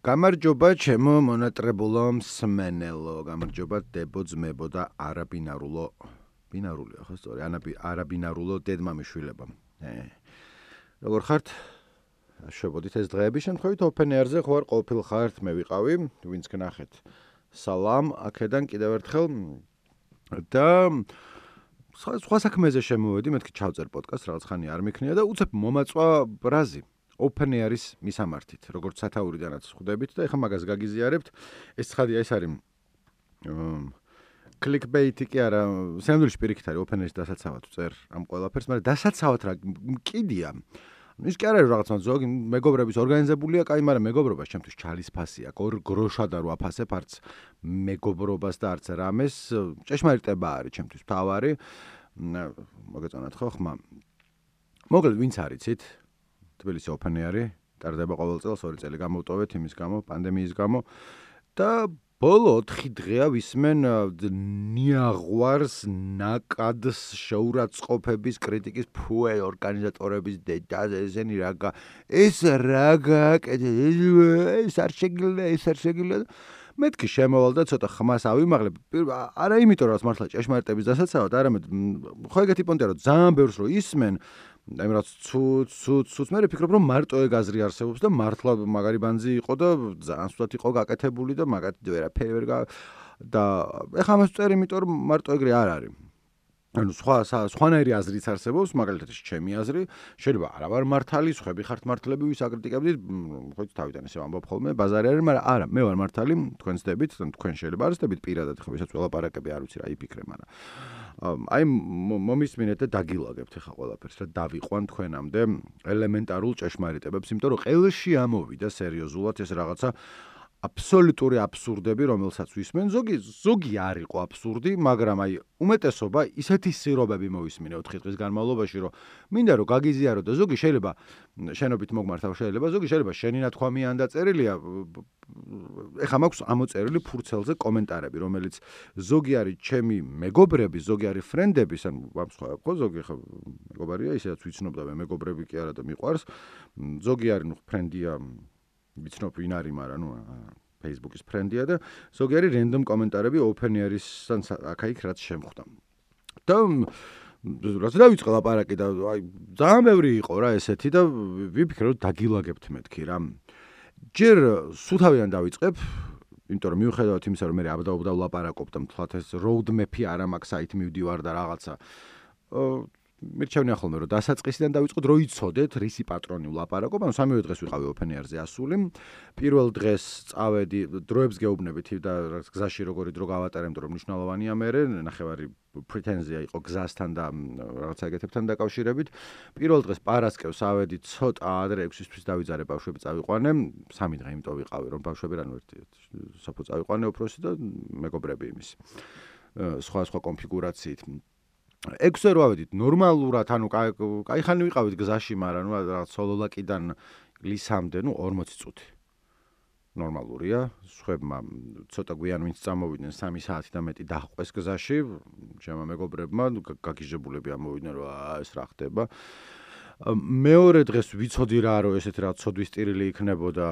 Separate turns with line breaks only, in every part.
გამარჯობა ჩემო მონატრებულო მსმენელო, გამარჯობა დებო ძმებო და არაბინარულო, ბინარულია ხო სწორი, არაბინარულო დედმამიშვილებო. როგორ ხართ? შევოდით ეს დღეები შემთხვევით open air-ზე ხო არ ყოფილ ხართ, მე ვიყავი, ვინც გნახეთ. სალამ, აქედან კიდევ ერთხელ და სხვა საქმეზე შემოვედი, მეთქი ჩავწერ პოდკასტს, რაღაც ხანი არ მიქნია და უცებ მომაწვა ბრაზი. open air-ის მისამართით, როგორც სათაურიდანაც ხვდებით და ეხლა მაგას გაგიზიარებთ. ეს ცხადია, ეს არის clickbait-ი კი არა, სამდვილში პირიქით არის open air-ის დასაცავად წერ ამ ყველაფერს, მაგრამ დასაცავად რა კიდია. ის კი არ არის რაღაცა ზოგი მეგობრების ორგანიზებულია, კაი, მაგრამ მეგობრობა ჩემთვის ჩალისფასია. გროშად არ ვაფასებ არც მეგობრობას და არც რამეს. ჭეშმარიტება არის ჩემთვის მთავარი. მოგეწონათ ხო ხმა? მოკლედ ვინც არიცით? თბილისი open air-ი ტარდება ყოველ წელს 2 წელი გამოვტოვეთ იმის გამო, პანდემიის გამო და ბოლო 4 დღეა ვისმენ ნიაღვარს, ნაკადს, შეურაცხყოფების, კრიტიკის, ფუე ორგანიზატორების დედაზე ესენი ეს რა გააკეთე, ეს არ შეგიძლია. მეთქი შემოვალ და ცოტა ხმას ავიმაღლებ. არა იმიტომ რომ მართლა ჭეშმარიტების დასაცავად, არამედ ხო ეგეთი პონტია რომ ძალიან ბევრს რო ისმენ აი რაც ცუც მე ვფიქრობ რომ მარტო ეგ აზრი არსებობს და მართლა მაგარი ბანძი იყო და ძალიან სულად იყო გაკეთებული და მაგათი ვერაფერი ვერ და ეხლა ამას წერ იმიტომ რომ მარტო ეგრე არ არის. ანუ სხვანაირი აზრიც არსებობს, მაგალითად ჩემი აზრი, შეიძლება არა ვარ მართალი, სხვები ხართ მართლები, ვის აკრიტიკებდით, ხო თავიდან ესე ვამბობ ხოლმე, ბაზარი არის, მაგრამ არა, მე ვარ მართალი, თქვენ ცდებით, თქვენ შეიძლება არცდებით პირადად, ხო ვისაც ველაპარაკები არ ვიცი რა იფიქრე, მაგრამ აი მომისმინეთ და დაგილაგებთ ახლა ყველაფერს რა დავიყვან თქვენამდე ელემენტარულ ჭეშმარიტებებს, იმიტომ რომ ყელში ამოვიდა სერიოზულად ეს რაღაცა აბსოლუტური აბსურდები, რომელსაც ვისმენ, ზოგი არ იყო აბსურდი, მაგრამ აი უმეტესობა ისეთი სირობები მოვისმინე 4 დღის განმავლობაში, რომ მინდა რომ გაგიზიარო და ზოგი შეიძლება შენობით მოგმართავ, ზოგი შეიძლება შენი ნათქვამი ან დაწერილია. ეხლა მაქვს ამოწერილი ფურცელზე კომენტარები, რომელიც ზოგი არის ჩემი მეგობრები, ზოგი არის ფრენდები, ან სხვა ხო ზოგი ხო მეგობარია, ისედაც ვიცნობ და მეგობრები კი არა და მიყვარს. ზოგი არის ფრენდია ვიცნობ ვინ არის, მაგრამ Facebook-ის ფრენდია და ზოგი არის random კომენტარები open air-ისთან აქ-იქ რაც შემხვდა. და რაც დავიწყე ლაპარაკი და აი ძალიან ბევრი იყო რა ესეთი და ვიფიქრე რომ დაგილაგებთ მეთქი რა. ჯერ სუთავიდან დავიწყებ, იმიტომ რომ მიუხედავად იმისა რომ მე აბდაუბდავ ლაპარაკობ და მთლად ეს road map-ი არ მაქვს, საით მივდივარ და რაღაცა. მირჩევნია ხოლმე რომ დასაწყისიდან დავიწყოთ, რო იცოდეთ რისი პატრონი ვლაპარაკობ, ანუ სამივე დღეს ვიყავი open air-ზე ასული. პირველ დღეს წავედი, დროებს გეუბნებით და გზაში როგორი დრო გავატარე, იმიტომ რომ მნიშვნელოვანია მე ნახევარი პრეტენზია იყო გზასთან და რაღაცა ეგეთებთან დაკავშირებით. პირველ დღეს პარასკევს ავედი ცოტა ადრე 6-ისთვის დავიძარე ბავშვები წავიყვანე, 3 დღე იმიტომ ვიყავი რომ ბავშვები რანუ ერთი საფო წავიყვანე უფროსი და მეგობრები იმის. სხვა კონფიგურაციით. 6-ზე რო ავედით ნორმალურად, ანუ კაი ხანი ვიყავით გზაში, მაგრამ რაღაც სოლოლაკიდან ლისამდე, 40 წუთი. ნორმალურია, სხვებმა ცოტა გვიან ვინც წამოვიდნენ 3 საათი და მეტი დაჰყვეს გზაში, ჩემო მეგობრებმა გაგიჟებულები ამოვიდნენ რომ ეს რა ხდება. მეორე დღეს ვიცოდი რა რომ ესეთი რა ცოდვის ტირილი იქნებოდა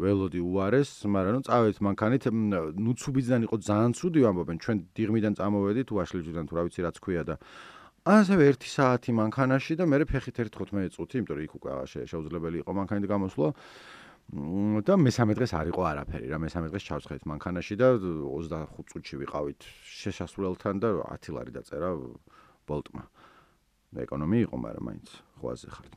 ველოდი უარეს, მაგრამ წავედით მანქანით, ნუცუბიძიდან იყო ძალიან ცუდი ვამბობენ, ჩვენ დიღმიდან წამოვედით, ვაშლიჯიდან თუ რა ვიცი რაც ქვია და ასევე 1 საათი მანქანაში და მე ფეხით 15 წუთი, იმიტომ რომ იქ უკვე შეუძლებელი იყო მანქანით გამოსვლა. და მესამე დღეს არ იყო არაფერი რა, მესამე დღეს ჩავსხეთ მანქანაში და 25 წუთში ვიყავით შესასვლელთან და 10 ლარი დაწერა ბოლტმა. ეკონომი იყო, მაგრამ მაინც ხვაზე ხართ.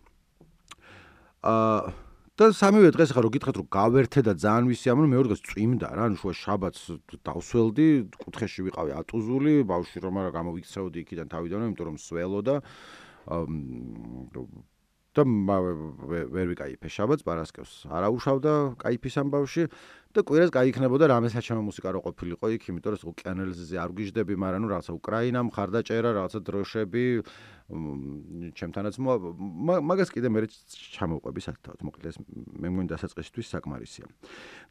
და სამივე დღეს ხა რო გითხეთ რომ გავერთე და ძალიან ვისიამოვნე, მეორე დღეს წვიმდა რა, ანუ შუა შაბათს დავსველდი, კუთხეში ვიყავი ატუზული, ბავშვი რომ არა გამოვიქცეოდი იქიდან თავიდანვე, იმიტომ რომ სველო და ვერ ვიკაიფე შაბათს, პარასკევს არა უშავდა კაიფის ამ ბავში და კვირას გაიქნებოდა რამე საჩემო მუსიკა რო ყოფილიყო იქ, იმიტომ რომ ოკეანელზე არ ვგიჟდები, მაგრამ რაღაცა უკრაინა მხარდაჭერა, რაღაცა დროშები, ჩემთანაც მაგას კიდე მე ჩამოვყვები სათავად, მოკლედ ეს მე მგონი დასაწყისისთვის საკმარისია.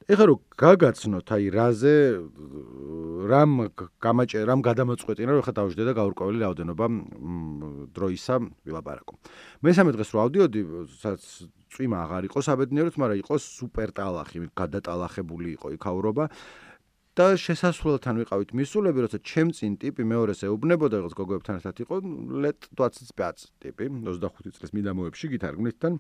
ეხლა რომ გაგაცნოთ აი რაზე რამ გადამოწყვეტინა, რომ ეხლა დავждე და გაურკვეველი რაოდენობა დროისა ვილაპარაკო. მესამე დღეს რო ავდიოდი, სადაც წვიმა აღარ იყო საბედნიეროდ, მაგრამ იყო სუპერ ტალახი, გადატალახებული იყო იქაურობა. და შესასვლელთან ვიყავით მისულები, როცა ჩემ წინ ტიპი მეორეს ეუბნებოდა, როგორც გოგოებთან ერთად იყო, let 25 ტიპი, 25 წლის მიდამოებში გითარგმნითთან.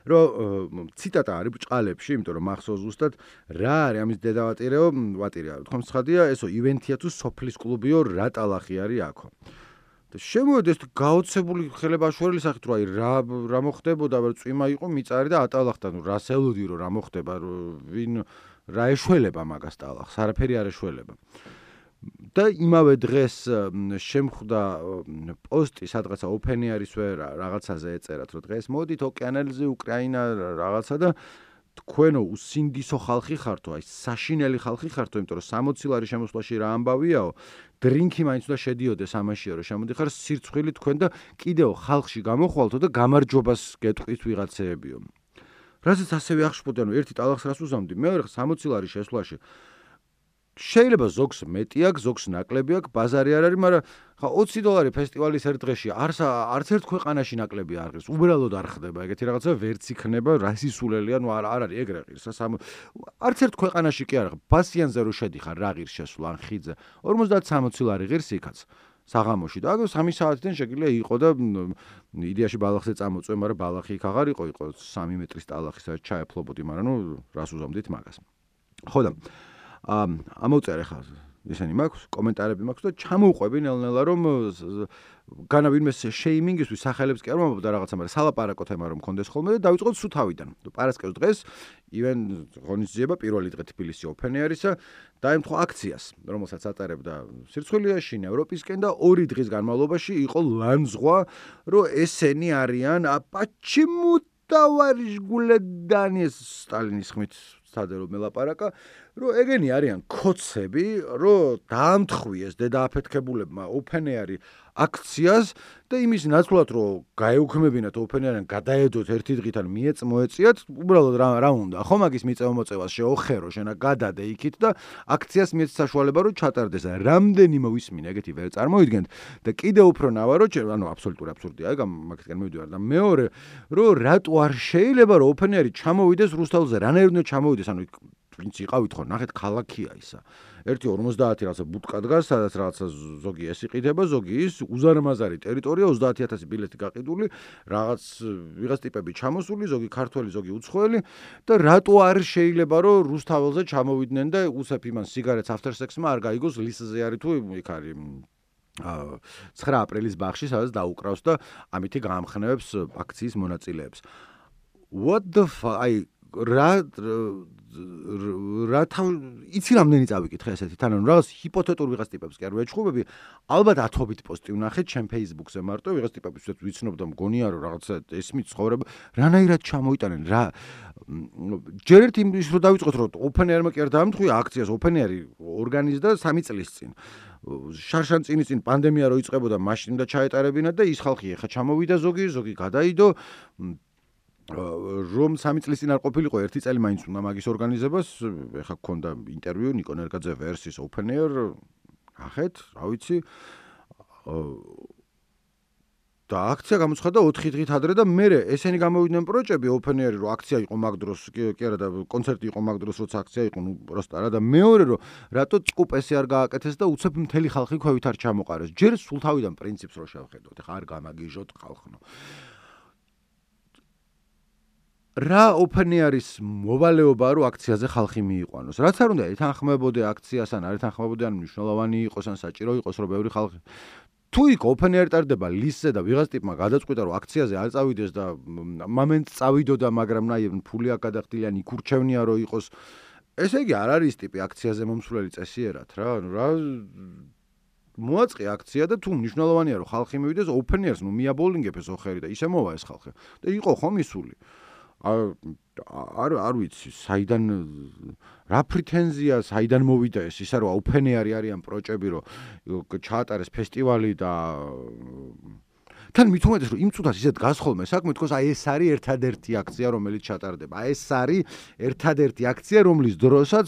რომ ციტატა არის ბჭყალებში, იმიტომ რომ მახსოვს ზუსტად რა არის ამის დედავატირეო, ვატირია, თქო მსხადია, ესო ივენთია თუ სოფლის კლუბიო, რა ტალახი არის აქო. და შემოვედი ეს გაოცებული ხელებაშვერილი სახით, რომ აი რა მოხდებოდა, რომ წვიმა იყო მიწარი და ატალახდა, ნუ რას ელოდი რომ რა მოხდება, ვინ რა ეშველება მაგას ტალახს, არაფერი არ ეშველება. და იმავე დღეს შემხვდა პოსტი სადღაცა ოფენიარისვე რაღაცაზე ეწერათ, რომ დღეს მოდით ოკეანელზე უკრაინა რაღაცა და თქვენო უსინდისო ხალხი ხართო, აი საშინელი ხალხი ხართო, იმიტომ რომ 60 ლარი შემოსვლაში რა ამბავიაო, დრინკი მაინც უნდა შედიოდეს ამაშია, რომ შემოდიხარ სირცხვილი თქვენ და კიდევ ხალხში გამოხვალთო და გამარჯვებას გეტყვით ვიღაცეებიო. რასაც ასევე ახშფოთი, ანუ ერთი ტალახს რას უზამდი, მეორე 60 ლარი შესვლაში შეიძლება ზოგს მეტი აქვს, ზოგს ნაკლები აქვს, ბაზარი არ არის, მაგრამ ხა $20 ფესტივალის ერთ დღეში არც ერთ ქვეყანაში ნაკლები არ ღირს. უბრალოდ არ ხდება ეგეთი რაღაცა, ვერც იქნება რასისულელია, ნუ არ არის ეგრე ღირს. არც ერთ ქვეყანაში კი არა, ბასიანზე რო შედიხარ, რა ღირს შესვლა ან ხიდზე. 50-60 ლარი ღირს იქაც. საღამოში და აგ 3 საათიდან შეგიძლია იყო და იდეაში ბალახზე წამოწვე, მაგრამ ბალახი იქ აღარ იყო 3 მეტრის ტალახი, სადაც ჩაეფლობოდი, მაგრამ ნუ რას უზომდით მაგას. ხო და ამოვწერე ხა ისენი მაქვს, კომენტარები მაქვს და ჩამოვყვები ნელ-ნელა რომ განა ვინმე შეიმინგისთვის სახელებს კი არ მომბობდა რაღაცა, მაგრამ სალაპარაკო თემა რომ მქონდეს ხოლმე და დავიწყოთ სულ თავიდან. პარასკევს დღეს ივენ ღონისძიება პირველი დღე თბილისი ოფენ ეარისა დაემთხვა აქციას, რომელსაც ატარებდა სირცხვილიაში, ევროპისკენ და 2 დღის განმავლობაში იყო ლანძღვა, რომ ესენი არიან почему товарищ Гуледани სტალინის ხმით სადერო მელაპარაკა, რომ ეგენი არიან ქოცები, რომ დაამთხვიეს დედააფეთქებულებმა ოფენეარი აქციას და იმის ნაცვლად რომ გაეუქმებინათ ოფენეარიან, გადაედოთ ერთი დღით ან მოეწიათ, უბრალოდ რა უნდა, ხო მაგის მიწევ-მოწევას შეოხერო, შენა გადადე იქით და აქციას მიეც საშუალება რომ ჩატარდეს. რამდენი მოვისმინე, ეგეთი ვერ წარმოიდგენთ და კიდევ უფრო ნავა რომ ანუ აბსოლუტური აბსურდია, ეგ მაგისგან მივიდივარ და მეორე რომ რატო არ შეიძლება რომ ოფენეარი ჩამოვიდეს რუსთაველზე, რანაირად უნდა ჩამოვიდეს, ანუ ვინც იყავით ხო, ნახეთ ქალაქია ისა. ერთი 50 რაღაცა ბუტკა დგას, სადაც რაღაცა ზოგი ეს იყიდება, ზოგი ის, უზარმაზარი ტერიტორია, 30000 ბილეთი გაყიდული, რაღაც ვიღაც ტიპები ჩამოსული, ზოგი ქართველი, ზოგი უცხოელი და რატო არ შეიძლება რომ რუსთაველზე ჩამოვიდნენ და უსეფ იმან სიგარეტს after-sex-მა არ გაიგოს ლისზე არის თუ იქ არის 9 აპრილის ბაღში, სადაც დაუკრავს და ამითი გაამხნევებს აქციის მონაწილეებს. What the fuck? იცი რამდენი წავიკითხე ესეთი თან ანუ რაღაც ჰიპოთეტურ ვიღაც ტიპებს კი არ ვეჩხუბები, ალბათ 10-ობით პოსტი ვნახეთ ჩემ Facebook-ზე მარტო ვიღაც ტიპებს ვიცნობ და მგონია რომ რაღაცა ესმით ცხოვრება რანაირად ჩამოიტანენ რა ჯერ ერთ იმის რომ დავიწყოთ რომ ოფენერმა კი არ დაამთხვია აქციას, ოფენერი ორგანიზდა 3 წლის წინ შარშანწინის წინ პანდემია რო იწყებოდა მაშინ და ჩაეტარებინა და ის ხალხი ეხა ჩამოვიდა ზოგი გადაიდო რომ 3 წლის წინ არ ყოფილიყო, 1 წელი მაინც უნდა მაგის ორგანიზებას, ეხა გქონდა ინტერვიუ ნიკო ნერგაძე ვერსის open air, ახეთ, რა ვიცი. და აქცია გამოცხადდა 4 დღით ადრე და მე ესენი გამოვიდნენ პროჭები open air-ი, რომ აქცია იყო მაგ დროს, კი არა და კონცერტი იყო მაგ დროს, როცა აქცია იყო, ნუ პროსტა რა და მეორე რომ რატო წკუპესი არ გააკეთეს და უცებ მთელი ხალხი ქვევით არ ჩამოყარეს. ჯერ სულ თავიდან პრინციპს რო შევხედოთ, ეხა არ გამაგიჟოთ ხალხნო. რა ოფენეარის მოვალეობა რომ აქციაზე ხალხი მიიყვანოს. რაც არ უნდა ეთანხმებოდე აქციას ან არ ეთანხმებოდე ან მნიშვნელოვანი იყოს ან საჭირო იყოს რომ ბევრი ხალხი თუ იქ ოფენეარი ტარდება ლისზე და ვიღაც ტიპმა გადაწყვიტა რომ აქციაზე არ წავიდეს და მომენტ წავიდოდა, მაგრამ ნაი ფული აქ გადახდილი ან იქურჩევნია რომ იყოს. ესე იგი არ არის ტიპი აქციაზე მომსვლელი წესიერად რა, ანუ რა მოაწყე აქცია და თუ მნიშვნელოვანია რომ ხალხი მივიდეს ოფენერს, ნუ მიაბოლინგებ ეს ოხერი და ისე მოვა ეს ხალხი. და იყო ხო მისული. არ ვიცი, საიდან რა პრეტენზია, საიდან მოვიდა ეს, ისა რომ ოფენეარი არიან პროჭები, რომ ჩაატარეს ფესტივალი და თან მით უმეტეს რომ იმ წუთას ისეთ გასხოლმე საქმე, თქოს აი ეს არის ერთადერთი აქცია, რომელიც ჩატარდება. აი ეს არის ერთადერთი აქცია, რომლის დროსაც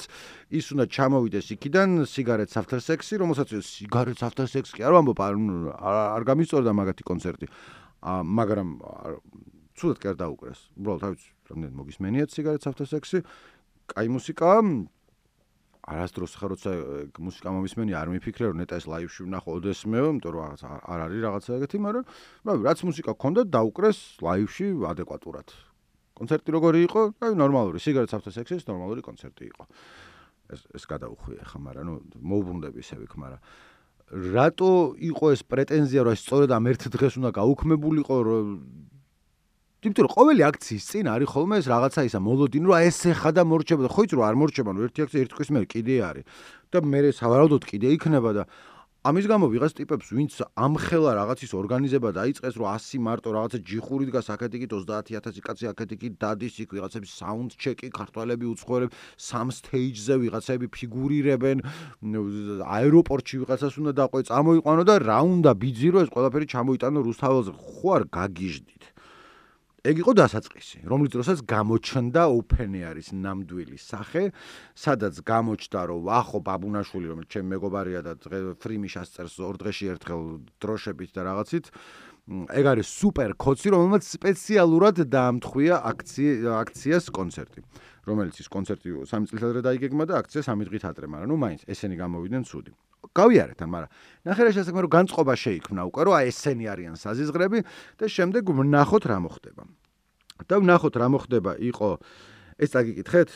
ის უნდა ჩამოვიდეს იქიდან სიგარეტს after sex-ი, რომელსაც სიგარეტს after sex-ი არ ვამბობ, არ გამისწორდა მაგათი კონცერტი. მაგრამ ცუდად კი არ დაუკრეს. უბრალოდ თავის რამდენი მოგისმენიათ სიგარეტს ავტოსექსი, კაი მუსიკაა. არასდროს ხარ როცა მუსიკა მომისმენი არ მიფიქრე რომ ნეტა ეს ლაივში ვნახო ოდესმეო, იმიტომ რომ რაღაც არ არის რაღაცა ეგეთი, მაგრამ რაც მუსიკა გქონდა დაუკრეს ლაივში ადეკვატურად. კონცერტი როგორი იყო? ნორმალური, სიგარეტს ავტოსექსის ნორმალური კონცერტი იყო. ეს გადაუხვია ხა, მაგრამ მოუბრუნდები ისევ იქ, მაგრამ რატო იყო ეს პრეტენზია რომ სწორედ ამ ერთ დღეს უნდა გაუქმებულიყო რომ იმიტომ რომ ყოველი აქციის წინ არის ხოლმე ეს რაღაცა ისა მოლოდინი რომ ეს ეხა და მორჩება და ხო იცი რომ არ მორჩება ნუ ერთი აქცია ერთი თვის მერე კიდე არის და მე სავარაუდოდ კიდე იქნება და ამის გამო ვიღაც ტიპებს ვინც ამხელა რაღაცის ორგანიზება დაიწყეს რომ 100 მარტო რაღაცა ჯიხური დგას აქეთიკით 30000 კაცი აქეთიკით დადის იქ ვიღაცების საუნდ ჩეკი ქართველები უცხოელები სამ სტეიჯზე ვიღაცები ფიგურირებენ აეროპორტში ვიღაცას უნდა დაყვე წამოიყვანო და რა უნდა ბიძირო ეს ყველაფერი ჩამოიტანო რუსთაველზე ხო არ გაგიჟდით ეგ იყო დასაწყისი, რომლის დროსაც გამოჩნდა ოფენეარის ნამდვილი სახე, სადაც გამოჩნდა, რომ ახო ბაბუნაშვილი, რომელიც ჩემი მეგობარია და ფრიმიშას წერს 2 დღეში ერთხელ დროშებით და რაღაცით, ეგ არის სუპერ კოცი, რომელმაც სპეციალურად დაამთხვია აქციას კონცერტი, რომელიც ის კონცერტი 3 წელიწად ადრე დაიგეგმა და აქცია 3 დღით ადრე, მაგრამ ნუ მაინც ესენი გამოვიდნენ ცუდი. გავიარეთ ამ, მაგრამ ნახე რა შესაძლოა რომ განწყობა შეიქმნა უკვე, რომ აი ესენი არიან საზიზღრები და შემდეგ ვნახოთ რა მოხდება. და ვნახოთ რა მოხდება იყო ეს წაგიკითხეთ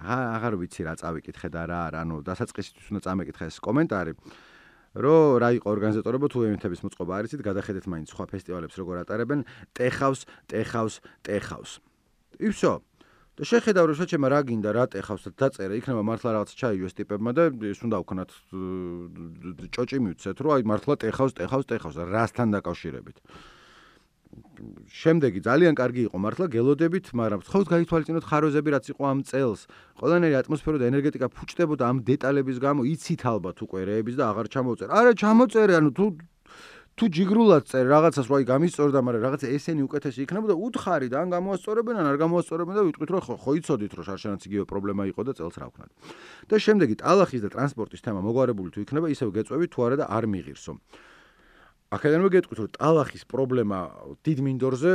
აღარ ვიცი რა წავიკითხე და რა არა, ანუ დასაწყისისთვის უნდა წამეკითხე ეს კომენტარი, რომ რა იყო ორგანიზატორობა თუ ევენთების მოწყობა არის, გადახედეთ მაინც სხვა ფესტივალებს როგორ ატარებენ, ტეხავს. იფსო და შეხედავ რომ შეჩემა რა გინდა რა ტეხავს და დაწერა იქნება მართლა რაღაც ჩაიჯოს ტიპებმა და ეს უნდა ვქნათ ჭოჭი მივცეთ რომ აი მართლა ტეხავს რასთან დაკავშირებით შემდეგი ძალიან კარგი იყო მართლა გელოდებით მაგრამ ხავს გაითვალისწინოთ ხაროზები რაც იყო ამ წელს ყველანაირი ატმოსფერო და ენერგეტიკა ფუჭდებოდა ამ დეტალების გამო იცით ალბათ უკვე რეების და აღარ ჩამოწერე არა ჩამოწერე ანუ თუ ჯიგრულად წერ რაღაცას რა გამისწორდა, მაგრამ რაღაცა ესენი უკეთესი იქნება და უთხარი და ან გამოასწორებენ, ან არ გამოასწორებენ და ვიტყვით რომ ხო იცოდით რომ შარშანაც იგივე პრობლემა იყო და წელს რა ვქნათ. და შემდეგი ტალახის და ტრანსპორტის თემა მოგვარებული თუ იქნება, ისევ გეწვევით თუ არა და არ მიღირსო. აქედანვე გეტყვით რომ ტალახის პრობლემა დიდ მინდორზე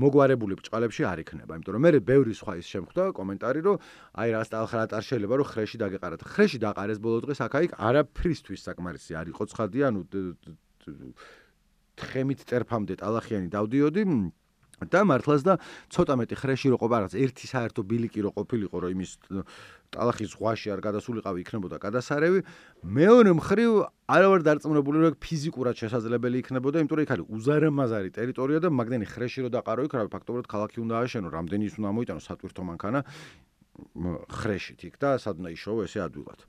მოგვარებული ბჭყალებში არ იქნება, იმიტომ რომ მე ბევრი სხვა ის შემხვდა კომენტარი რომ აი რა ტალახად არ შეიძლება რომ ხრეში დაგეყარათ. ხრეში დაყარეს ბოლო დღეს აქ-იქ არაფრისთვის საკმარისი არ იყო ცხადი, ანუ თხემით წერფამდე ტალახიანი დავდიოდი და მართლაც და ცოტა მეტი ხრეში რო ყოფა რაღაც ერთი საერთო ბილიკი რო ყოფილიყო რომ იმის ტალახის ზღვაში არ გადასულიყავი იქნებოდა გადასარევი მეორე მხრივ არა ვარ დარწმუნებული რომ ფიზიკურად შესაძლებელი იქნებოდა იმიტომ რომ იქ არის უზარმაზარი ტერიტორია და მაგდენი ხრეში რო დაყარო იქ რა ფაქტობრივად ქალაქი უნდა ააშენო რამდენი ის უნდა მოიტანო სატვირთო მანქანა ხრეშით იქ და სად უნდა იშოვო ესე ადვილად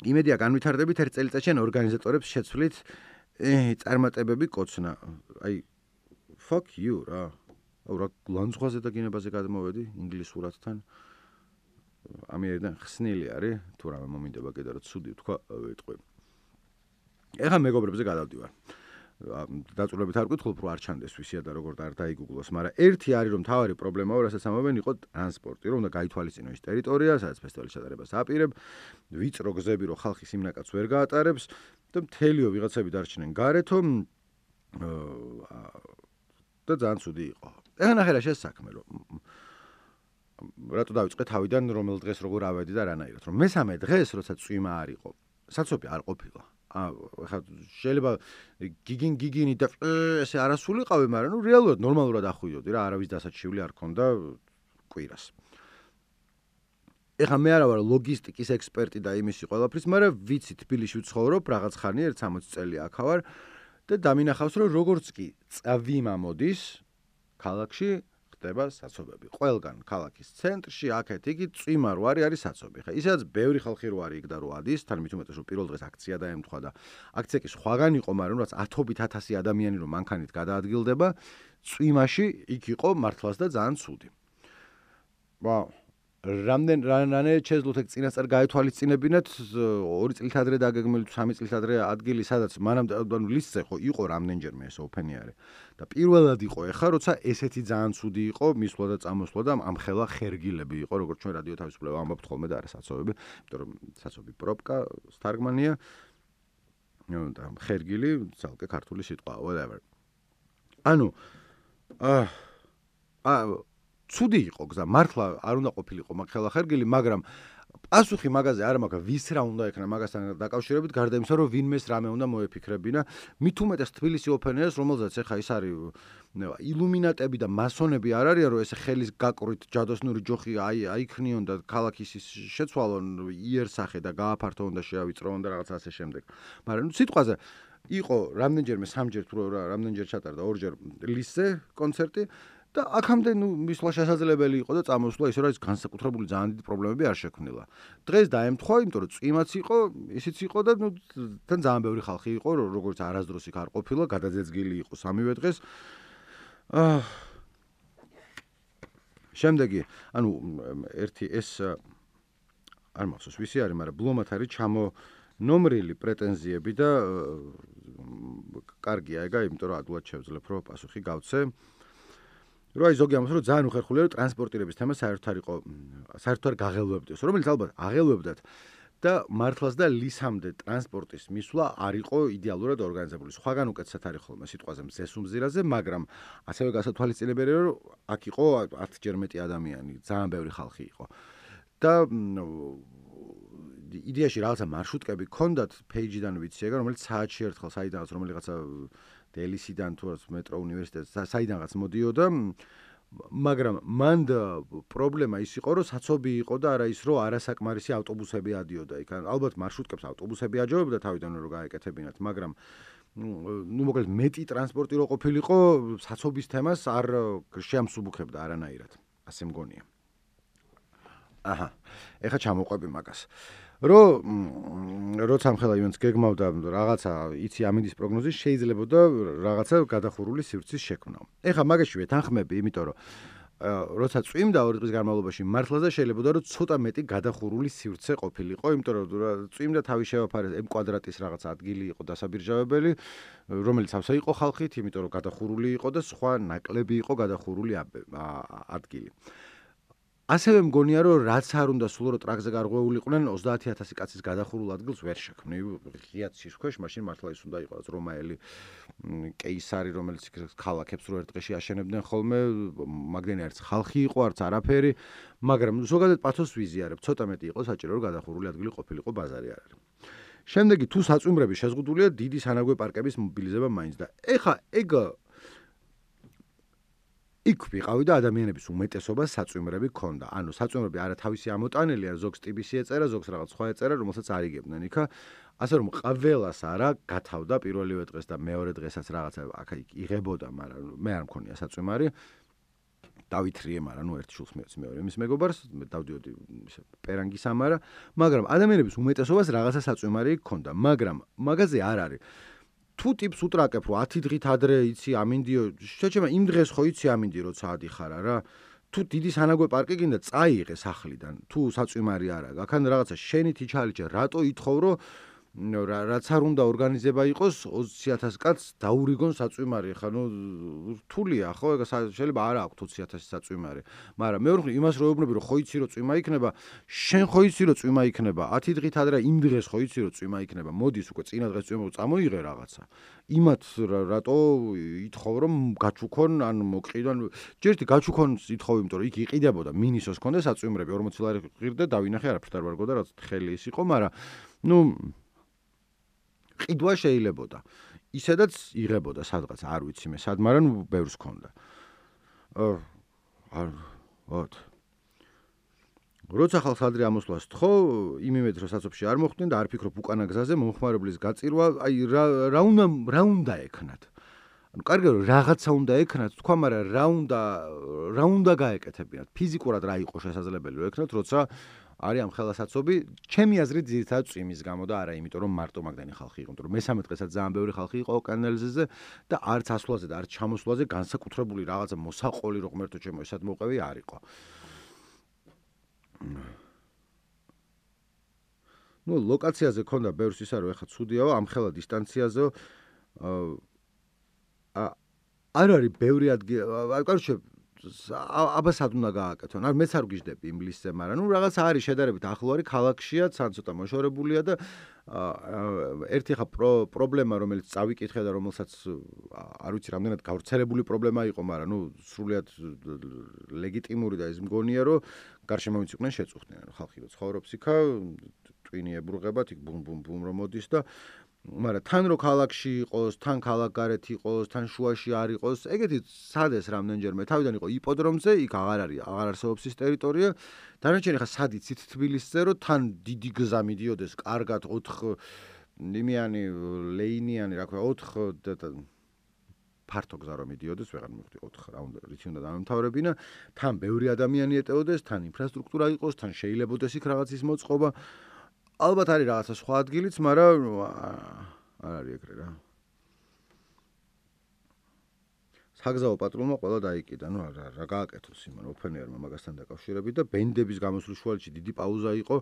იმედია განვითარდებით ერთ წელიწადში ორგანიზატორებს შეცვლით წარმატებები კოცნა აი fuck you რა რა ლანძღვაზე და გინებაზე გადმოვედი ინგლისურადთან ამიერიდან ხსნილი არის თუ რა მომინდება კიდე რომ ცუდი თქვა ვიტყვი ეხა მეგობრებზე გადავდივარ დაწურებით არ გითხულობ რომ არ ჩანდეს ვისია და როგორ არ დაიგუგლოს მაგრამ ერთი არის რომ თავარი პრობლემაა რასაც ამობენ იყო ტრანსპორტი რომ უნდა გაითვალისწინო ის ტერიტორია სადაც ფესტივალის ჩატარებას აპირებ ვიწრო გზები რომ ხალხი სიმნაკაც ვერ გაატარებს და მთელიო ვიღაცები დარჩნენ გარეთო და ძალიან ცუდი იყო ეხლა ნახე რა შესაქმე რომ რატო დავიწყე თავიდან რომელ დღეს როგორ ავედი და რანაირად რომ მესამე დღეს როცა წვიმა არ იყო საცობი არ ყოფილა ხა შეიძლება გიგინი და ესე არასულიყავი, მაგრამ ნუ რეალურად ნორმალურად ახვიდოდი რა, არავის დასაჩივლი არ ქონდა კვირას. ეხლა მე არა ვარ ლოგისტიკის ექსპერტი და იმისი ყველაფრის, მაგრამ ვიცი თბილისში ვცხოვრობ, რაღაც ხანი 60 წელი აქ ვარ და დამინახავს რომ როგორც კი წავიმა მოდის ქალაქში ხდება საცობები. ყველგან ქალაქის ცენტრში, აქეთ იგი წვიმა რო არის საცობი. ხა ისედაც ბევრი ხალხი რო არის იქ და რო ადის, თან მით უმეტეს რომ პირველ დღეს აქცია დაემთხვა და აქცია კი სხვაგან იყო, მაგრამ რაც 10,000 ადამიანი რო მანქანით გადაადგილდება, წვიმაში იქ იყო მართლაც და ძალიან ცუდი. რამდენი შეძლოთ ეგ წინასწარ გაეთვალისწინებინათ 2 წლით ადრე დაგეგმილი 3 წლით ადრე ადგილი სადაც მანამდე ანუ ლისტზე ხო იყო რამდენჯერმე ეს ოფენიარი და პირველად იყო ეხა როცა ესეთი ძალიან ცუდი იყო მისვლა და წამოსვლა და ამხელა ხერგილები იყო როგორც ჩვენ რადიო თავისუფლება ამბობთ ხოლმე და არა საცობები იმიტომ რომ საცობი პროპკა სტარგმანია და ხერგილი ცალკე ქართული სიტყვა whatever ანუ ცუდი იყო გზა, მართლა არ უნდა ყოფილიყო მაგხელა ხერგილი, მაგრამ პასუხი მაგაზე არ მაქვს, ვის რა უნდა ექნა მაგასთან დაკავშირებით, გარდა იმისა, რომ ვინმეს რამე უნდა მოეფიქრებინა, მით უმეტეს თბილისი ოფენერს, რომელზეც ეხა ის არის ილუმინატები და მასონები არ არიან, რომ ესე ხელის გაკვრით ჯადოსნური ჯოხი აიქნიონ და ქალაქის შეცვალონ იერსახე და გააფართოვონ და შეავიწროონ და რაღაც ასე შემდეგ. მაგრამ სიტყვაზე იყო რამდენჯერმე სამჯერ თუ რამდენჯერ ჩატარდა ორჯერ ლისზე კონცერტი და აქამდე მისვლა შესაძლებელი იყო და წამოსვლა ისე რომ ის განსაკუთრებული ძალიან დიდი პრობლემები არ შექმნილა. დღეს დაემთხვა, იმიტომ რომ წვიმაც იყო, ისიც იყო და თან ძალიან ბევრი ხალხი იყო, როგორც არასდროს იქ არ ყოფილა, გადაძეძგილი იყო სამივე დღეს. შემდეგი, ანუ ერთი ეს არ მახსოვს ვისი არის, მაგრამ ბლომად არის ჩამონომრილი პრეტენზიები და კარგია ეგა, იმიტომ რომ ადვილად შევძლებ რომ პასუხი გავცე. რო აი ზოგი ამბობს რომ ძალიან უხერხულია რომ ტრანსპორტირების თემა საერთოდ არ გაღელვებდეს, რომელიც ალბათ აღელვებდათ და მართლაც და ლისამდე ტრანსპორტის მისვლა არ იყო იდეალურად ორგანიზებული. სხვაგან უკეთესად არის ხოლმე სიტყვაზე მზეს უმზირაზე, მაგრამ ასევე გასათვალისწინებელია რომ აქ იყო 10-ჯერ მეტი ადამიანი, ძალიან ბევრი ხალხი იყო. და იდეაში რაღაცა მარშრუტკები ქონდათ ფეიჯიდან ვიცი ეგა, რომელიც საათში ერთხელ საიდანაც რომელიღაცა დელისიდან თუ მეტრო უნივერსიტეტს საიდანაც მოდიოდა, მაგრამ მანდ პრობლემა ის იყო, რომ საცობი იყო და არა ის, რომ არასაკმარისი ავტობუსები ადიოდა იქ. ალბათ მარშრუტკებს ავტობუსები აჯობებდა თავიდან რომ გაეკეთებინათ, მაგრამ მოკლედ მეტი ტრანსპორტი რო ყოფილიყო, საცობის თემას არ შეამსუბუქებდა არანაირად. ასე მგონია. ეხა ჩამოყვები მაგას. როცა ამხელა ივენს გეგმავდა რაღაცა იცი ამინდის პროგნოზის შეიძლება და რაღაცა გადახურული სივრცის შექმნა. ეხა მაგაში ვეთანხმები, იმიტომ რომ როცა წვიმდა 2 დღის განმავლობაში მართლაც და შეიძლება რომ ცოტა მეტი გადახურული სივრცე ყოფილიყო, იმიტომ რომ წვიმდა თავი შევაფარეს M კვადრატის რაღაც ადგილი იყო დასაბირჟავებელი, რომელიც ავსა იყო ხალხით, იმიტომ რომ გადახურული იყო და სხვა ნაკლები იყო გადახურული ადგილი. ასევე მგონია რომ რაც არ უნდა სულ რომ ტრაქზე გარღვეულიყვნენ 30000 კაცის გადახურულ ადგილს ვერ შექმნი. ღიად სისქვეშ, მაშინ მართლა ის უნდა იყოს რომაელი კეისარი, რომელიც ქალაქებს რო ერთ დღეში აშენებდნენ ხოლმე, მაგდენი არც ხალხი იყო, არც არაფერი, მაგრამ ზოგადად პათოს ვიზიარებ, ცოტა მეტი იყო საჭირო რომ გადახურული ადგილი ყოფილიყო, ბაზარი არ არის. შემდეგი თუ საწვიმრები შეზღუდულია, დიდი სანაგვე პარკების მობილიზება მაინც და ეხა ეგ იქ ვიყავი და ადამიანების უმეტესობას საწვიმრები ქონდა. ანუ საწვიმრები არა თავისი ამოტანელი, არა ზოგს ტიბისი ეწერა, ზოგს რაღაც სხვა ეწერა, რომელსაც არიგებდნენ იქა. ასე რომ ყველას არა გათავდა პირველივე დღეს და მეორე დღესაც რაღაცა აქ იღებოდა, მაგრამ მე არ მქონია საწვიმარი. დავითრიე, მაგრამ ნუ ერთ შულს მეც მეორე მის მეგობარს დავდიოდი ისე პერანგის ამარა, მაგრამ ადამიანების უმეტესობას რაღაცა საწვიმარი ქონდა, მაგრამ მაგაზე არ არის. თუ ტიპს უტრაკებ რომ 10 დღით ადრე იცი ამინდიო, შეჩემა იმ დღეს ხო იცი ამინდი როცა ადიხარა რა. თუ დიდი სანაგვე პარკი გინდა წაიღე სახლიდან, თუ საწვიმარი არა, აქან რაღაცა შენით იჩალიჭე, რატო ითხოვ რომ რაც არ უნდა ორგანიზება იყოს 20000 კაცს დაურიგონ საწვიმარი, ხა ნუ რთულია ხო, ეგ შეიძლება არ აქვს 20000 საწვიმარი, მაგრამ მეორე მხრივ იმას რო ეუბნები რომ ხო იცი რომ წვიმა იქნება, შენ ხო იცი რომ წვიმა იქნება, 10 დღით ადრე იმ დღეს ხო იცი რომ წვიმა იქნება, მოდის უკვე წინა დღეს წვიმა წამოიღე რაღაცა. იმათ რატო ითხოვ რომ გაჩუქონ ან მოკყიდონ, ჯერტი გაჩუქონს ითხოვ, იმიტომ რომ იქ იყიდებოდა მინისოს ქონდა საწვიმრები 40 ლარი ღირდა, დავინახე არაფერთ არ ვარგო და რაც ხელი ის იყო, მაგრამ ნუ ყიდვა შეიძლებოდა. ისედაც იღებოდა სადღაც, არ ვიცი მე სად, მაგრამ ბევრს ქონდა. როცა ხალხს ადრე ამოსვლას თხოვ, იმედით რომ საცობში არ მოხვდნენ და არ ფიქრობ უკანა გზაზე მომხმარებლის გაწირვა, აი რა უნდა ექნათ. ანუ კარგია რომ რაღაცა უნდა ექნათ, თქვა, მაგრამ რა უნდა გაეკეთებინათ? ფიზიკურად რა იყო შესაძლებელი რომ ექნათ, როცა არის ამ ხელასაცობი, ჩემი აზრით ძირითადად წვიმის გამო და არა იმიტომ რომ მარტო მაგდენი ხალხი იყო, იმიტომ რომ მესამე დღესაც ძალიან ბევრი ხალხი იყო კანალიზეზე და არც ასვლაზე და არც ჩამოსვლაზე განსაკუთრებული რაღაცა მოსაყოლი რო ღმერთო ჩემო ესად მოყვევი არ იყო. ნუ ლოკაციაზე ქონდა ბევრს ისა რომ ეხა ცუდიაო, ამ ხელა დისტანციაზეო არ არის ბევრი ადგილი, კაროჩე აბასად უნდა გააკეთონ. არ მეც არ გიждები იმ ლისტზე, მაგრამ რაღაც არის შედარებით ახლო არის ქალაქშია, თან ცოტა მოშორებულია და ერთი ხა პრობლემა რომელიც წავიკითხე და რომელსაც არ ვიცი რამდენად გავრცელებული პრობლემა იყო, მაგრამ სრულიად ლეგიტიმური და ის მგონია რომ გარშემო ვინც იყვნენ შეწუხდნენ, ხალხი რო ცხოვრობს იქა, ტვინი ებრუღებათ, იქ ბუმ ბუმ ბუმ რომ მოდის და მაგრამ თან რო ქალაქში იყოს, თან ქალაქ გარეთ იყოს, თან შუაში არ იყოს, ეგეთი სადეს რამდენჯერმე თავიდან იყო იპოდრომზე, იქ აღარ არსებობს ის ტერიტორია. დანარჩენი ხა სად იცით თბილისზე, რომ თან დიდი გზა მიდიოდეს, კარგად 4 იმიანი ლეინიანი, რა ქვია, 4 ფართო გზა რომ მიდიოდეს, ვეღარ მივხვდი 4 რა უნდა, რითი უნდა დამთავრებინა, თან ბევრი ადამიანი ეტეოდეს, თან ინფრასტრუქტურა იყოს, თან შეიძლებაოდეს იქ რაღაც ის მოწყობა. ალბათ არის რაღაცა სხვა ადგილიც, მაგრამ არ არის ეგრე რა. საგზაო პატრულმა ყველა დაიკიდა, რა გააკეთოს იმან ოფენერმა მაგასთან დაკავშირებით და ბენდების გამოსვლის შუალედში დიდი პაუზა იყო.